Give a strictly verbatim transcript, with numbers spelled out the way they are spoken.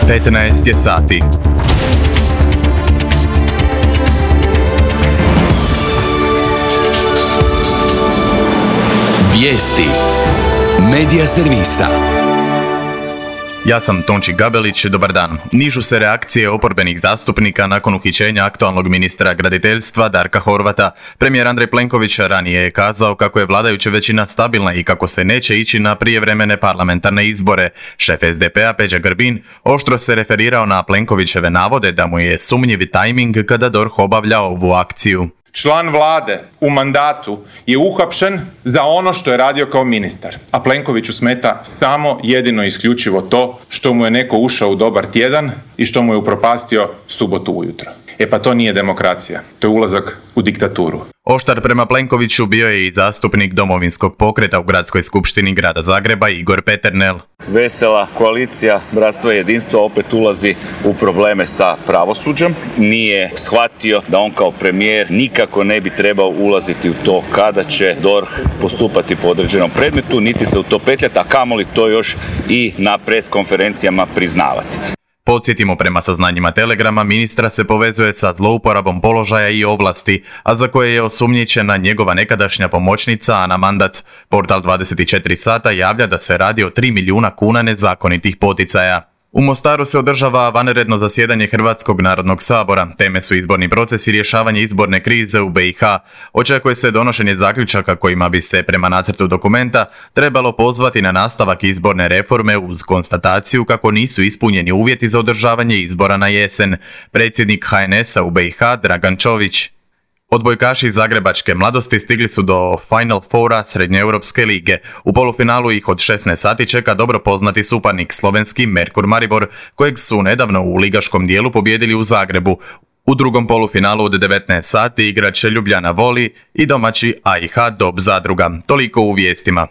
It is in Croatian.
petnaest je sati. Vijesti Medija servisa. Ja sam Tonči Gabelić, dobar dan. Nižu se reakcije oporbenih zastupnika nakon uhićenja aktualnog ministra graditeljstva Darka Horvata. Premijer Andrej Plenković ranije je kazao kako je vladajuća većina stabilna i kako se neće ići na prijevremene parlamentarne izbore. Šef es de pe a Peđa Grbin oštro se referirao na Plenkovićeve navode da mu je sumnjivi tajming kada DORH obavlja ovu akciju. Član vlade u mandatu je uhapšen za ono što je radio kao ministar, a Plenkoviću smeta samo jedino i isključivo to što mu je neko ušao u dobar tjedan i što mu je upropastio subotu ujutro. E pa to nije demokracija, to je ulazak u diktaturu. Oštar prema Plenkoviću bio je i zastupnik Domovinskog pokreta u Gradskoj skupštini grada Zagreba Igor Peternel. Vesela koalicija Bratstvo i jedinstvo opet ulazi u probleme sa pravosuđem. Nije shvatio da on kao premijer nikako ne bi trebao ulaziti u to kada će DORH postupati po određenom predmetu, niti se u to petljati, a kamoli to još i na pres konferencijama priznavati. Podsjetimo, prema saznanjima Telegrama, ministra se povezuje sa zlouporabom položaja i ovlasti, a za koje je osumnjičena njegova nekadašnja pomoćnica Ana Mandac. Portal dvadeset četiri sata javlja da se radi o tri milijuna kuna nezakonitih poticaja. U Mostaru se održava vanredno zasjedanje Hrvatskog narodnog sabora. Teme su izborni proces i rješavanje izborne krize u be i ha. Očekuje se donošenje zaključaka kojima bi se prema nacrtu dokumenta trebalo pozvati na nastavak izborne reforme uz konstataciju kako nisu ispunjeni uvjeti za održavanje izbora na jesen. Predsjednik ha en es a u be i ha Dragan Čović. Odbojkaši iz zagrebačke mladosti stigli su do Final Foura Srednjoeuropske lige. U polufinalu ih od šesnaest sati čeka dobro poznati suparnik, slovenski Merkur Maribor, kojeg su nedavno u ligaškom dijelu pobijedili u Zagrebu. U drugom polufinalu od devetnaest sati igrat će Ljubljana Voli i domaći a i ha Dob Zadruga. Toliko u vijestima.